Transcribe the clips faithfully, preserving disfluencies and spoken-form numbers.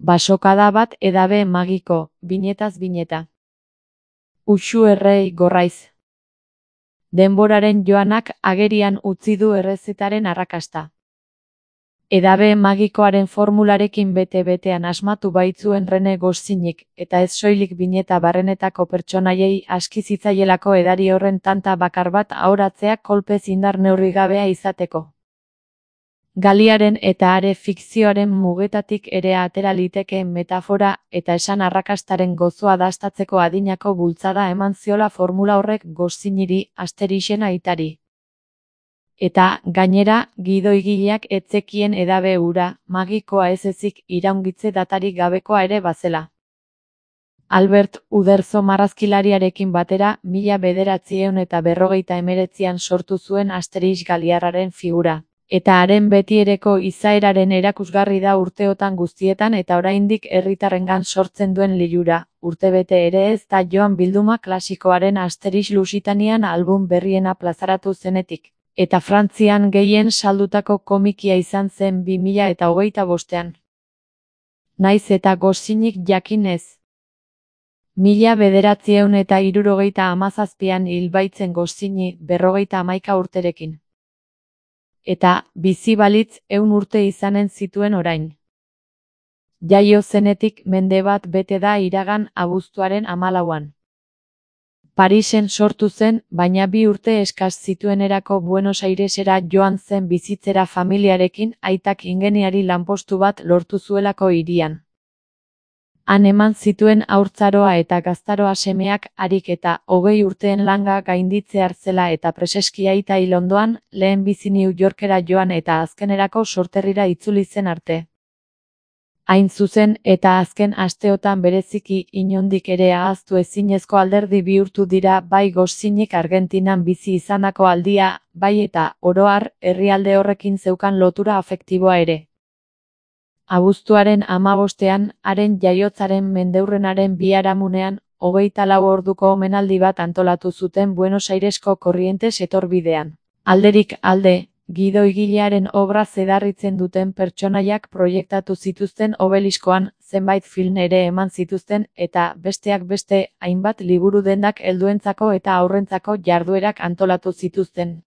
Basokada bat edabe magiko, binetaz bineta. Uxu errei gorraiz. Denboraren joanak agerian utzi du errezetaren arrakasta. Edabe magikoaren formularekin bete-betean asmatu baitzuen Rene Goscinnyk, eta ez soilik bineta barrenetako pertsonaiei aski zitzaielako edari horren tanta bakar bat ahoratzea kolpez indar neurrigabea izateko. Galiaren eta are fikzioaren mugetatik ere atera litekeen metafora eta esan arrakastaren gozoa dastatzeko adinako bultzada eman ziola formula horrek Goscinnyri, Asterixen aitari. Eta, gainera, gidoigileak etzekien edabe hura, magikoa ez ezik iraungitze datarik gabekoa ere bazela. Albert Uderzo marrazkilariarekin batera, mila bederatziehun eta berrogeita hemeretzian sortu zuen Asterix galiarraren figura. Eta haren betiereko izaeraren erakusgarri da urteotan guztietan eta oraindik herritarrengan sortzen duen lilura, urtebete ere ez da joan bilduma klasikoaren Asterix Lusitanian album berriena plazaratu zenetik, eta Frantzian gehien saldutako komikia izan zen bi mila eta hogeita bostean. Naiz eta Goscinnyk jakin ez. Mila bederatziehun eta hirurogeita hamazazpian hil baitzen Goscinny berrogeita hamaika urterekin. Eta, bizi balitz ehun urte izanen zituen orain. Jaio zenetik mende bat bete da iragan abuztuaren hamalauan. Parisen sortu zen, baina bi urte eskas zituenerako Buenos Airesera joan zen bizitzera familiarekin aitak ingeniari lanpostu bat lortu zuelako hirian. Han eman zituen haurtzaroa eta gaztaroa semeak harik eta hogei urteen langa gainditzear zela eta preseski aita hil ondoan, lehen bizi New Yorkera joan eta azkenerako sorterrira itzuli zen arte. Hain zuzen eta azken asteotan bereziki inondik ere ahaztu ezinezko alderdi bihurtu dira bai Goscinnyk Argentinan bizi izandako aldia, bai eta, oro har, herrialde horrekin zeukan lotura afektiboa ere. Abuztuaren hamabostean, haren jaiotzaren mendeurrenaren biharamunean, hogeita lau orduko omenaldi bat antolatu zuten Buenos Airesko Korrientes etorbidean. Alderik alde, gidoigilearen obra zedarritzen duten pertsonaiak proiektatu zituzten obeliskoan, zenbait film ere eman zituzten, eta, besteak beste, hainbat liburu dendak helduentzako eta aurrentzako jarduerak antolatu zituzten.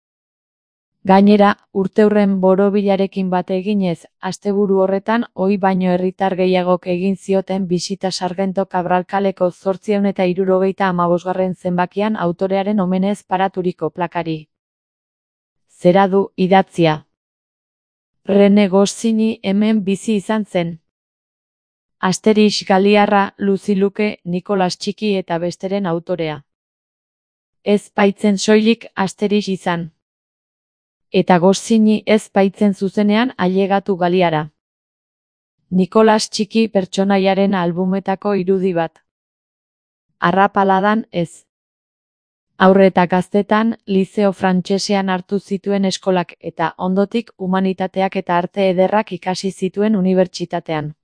Gainera, urteurren borobilarekin bat eginez, asteburu horretan ohi baino herritar gehiagok egin zioten bisita Sargento Cabral kaleko zortziehun eta hirurogeita hamabosgarren zenbakian autorearen omenez paraturiko plakari. Zera du idatzia. Rene Goscinny hemen bizi izan zen. Asterix galiarra, Lucy Luke, Nikolas Txiki eta besteren autorea. Ez baitzen soilik Asterix izan. Eta Goscinny ez baitzen zuzenean ailegatu galiara. Nikolas Txiki pertsonaiaren albumetako irudi bat. Arrapaladan ez. Haurre eta gaztetan, Liceo Frantsesean hartu zituen eskolak eta ondotik humanitateak eta arte ederrak ikasi zituen unibertsitatean.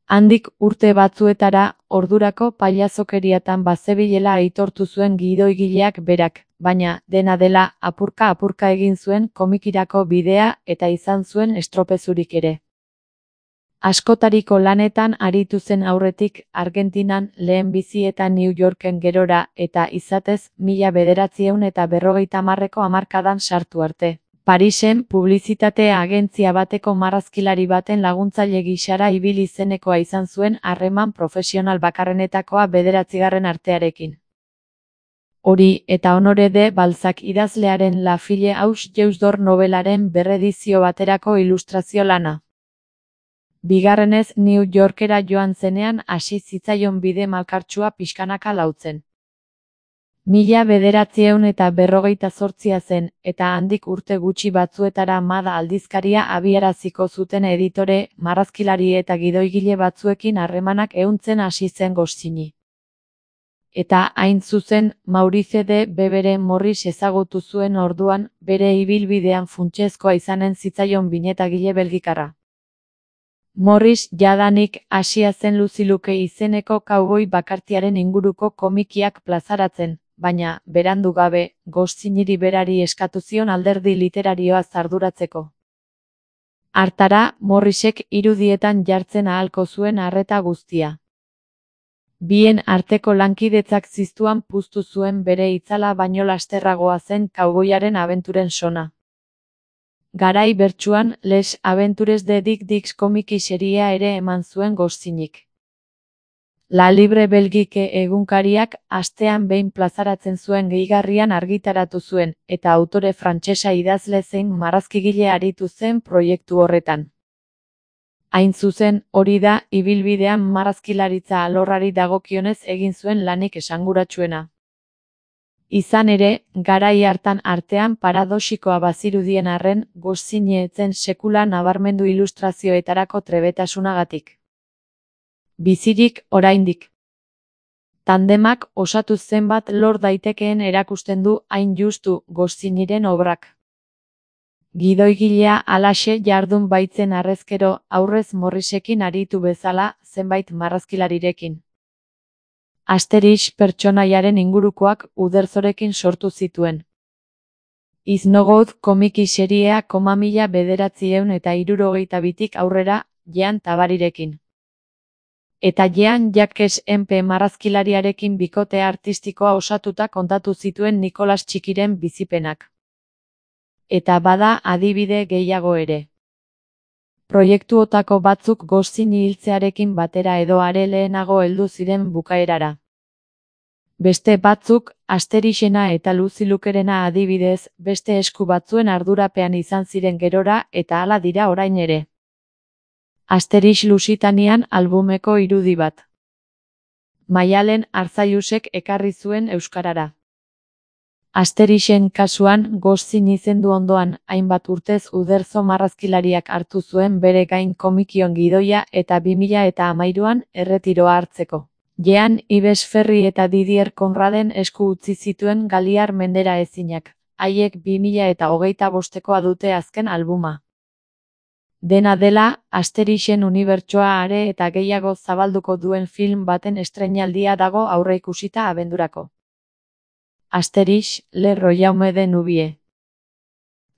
Handik urte batzuetara, ordurako pailazokeriatan bazebilela aitortu zuen gidoigileak berak, baina, dena dela, apurka-apurka egin zuen komikirako bidea eta izan zuen estropezurik ere. Askotariko lanetan aritu zen aurretik, Argentinan, lehen bizi eta New Yorken gerora, eta izatez, mila bederatziehun eta berrogeita hamarreko hamarkadan sartu arte. Parisen, publizitate agentzia bateko marrazkilari baten laguntzaile gisara ibili zenekoa izan zuen harreman profesional bakarrenetakoa bederatzigarren artearekin. Hori eta Honore de Balzac idazlearen La Fille aux Yeux d'Or nobelaren berredizio baterako ilustrazio lana. Bigarrenez New Yorkera joan zenean hasi zitzaion bide malkartsua pixkanaka lautzen. Mila bederatziehun eta berrogeita zortzia zen, eta handik urte gutxi batzuetara Mada aldizkaria abiaraziko zuten editore, marrazkilari eta gidoigile batzuekin harremanak ehuntzen hasi zen Goscinny. Eta hain zuzen, Maurice de Bebere Morris ezagutu zuen orduan, bere ibilbidean funtsezkoa izanen zitzaion binetagile belgikarra. Morris jadanik hasia zen Lucy Luke izeneko kauboi bakartiaren inguruko komikiak plazaratzen, baina, berandu gabe, Goscinnyri berari eskatu zion alderdi literarioa arduratzeko. Hartara, Morrisek irudietan jartzen ahalko zuen arreta guztia. Bien arteko lankidetzak ziztuan puztu zuen bere itzala baino lasterragoa zen kauboiaren abenturen sona. Garai bertsuan, Les Aventures de Dick Dix komiki seria ere eman zuen Goscinnyk. La Libre Belgique egunkariak astean behin plazaratzen zuen gehigarrian argitaratu zuen, eta autore frantsesa idazle zein marrazkigile aritu zen proiektu horretan. Hain zuzen, hori da, ibilbidean marrazkilaritza alorrari dagokionez egin zuen lanik esanguratsuena. Izan ere, garai hartan artean paradoxikoa bazirudien arren, Goscinny ez zen sekula nabarmendu ilustrazioetarako trebetasunagatik. Bizirik, oraindik. Tandemak osatu zenbat lor daitekeen erakusten du hain justu Goscinnyren obrak. Gidoigilea halaxe jardun baitzen harrezkero aurrez Morrisekin aritu bezala zenbait marrazkilarirekin. Asterix pertsonaiaren ingurukoak Uderzorekin sortu zituen. Iz no God komiki seriea koma mila bederatziehun eta hirurogeita bitik aurrera Jean Tabarirekin. Eta Jean Jacques Empe marrazkilariarekin bikote artistikoa osatuta kontatu zituen Nikolas Txikiren bizipenak. Eta bada adibide gehiago ere. Proiektuotako batzuk Goscinny hiltzearekin batera edo are lehenago heldu ziren bukaerara. Beste batzuk, Asterixena eta Lucy Lukerena adibidez, beste esku batzuen ardurapean izan ziren gerora eta hala dira orain ere. Asterix Lusitanian albumeko irudi bat. Maialen Arzailusek ekarri zuen euskarara. Asterixen kasuan, Goscinny zendu ondoan, hainbat urtez Uderzo marrazkilariak hartu zuen bere gain komikion gidoia eta bi mila eta hamairuan erretiroa hartzeko. Jean Yves Ferry eta Didier Conraden esku utzi zituen Galiar mendera ezinak, haiek bi mila eta hogeita bostekoa dute azken albuma. Dena dela, Asterixen unibertsoa are eta gehiago zabalduko duen film baten estreinaldia dago aurreikusita abendurako. Asterix, Le Royaume de Nubie.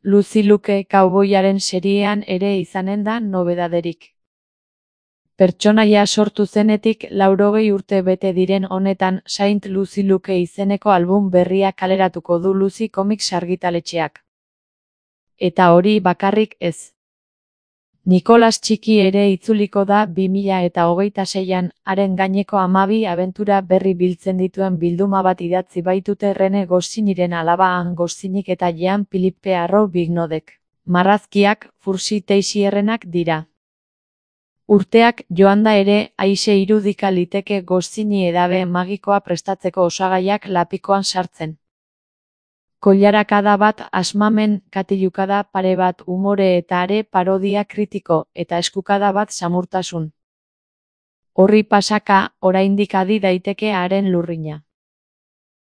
Lucy Luke kauboiaren seriean ere izanen da nobedaderik. Pertsonaia sortu zenetik laurogei urte bete diren honetan Saint Lucy Luke izeneko album berria kaleratuko du Lucy Comics argitaletxeak. Eta hori bakarrik ez. Nikolas Txiki ere itzuliko da bi mila eta hogeita seian, haren gaineko hamabi abentura berri biltzen dituen bilduma bat idatzi baitute Rene Goscinnyren alaba Anne Goscinnyk eta Jean-Philippe Arrou Bignodek. Marrazkiak Fursi Teixierrenak dira. Urteak joanda ere, aise irudika liteke Goscinny edabe magikoa prestatzeko osagaiak lapikoan sartzen. Koilarakada bat asmamen, katilukada pare bat umore eta are parodia kritiko, eta eskukada bat samurtasun. Horri pasaka, oraindik adi daiteke haren lurrina.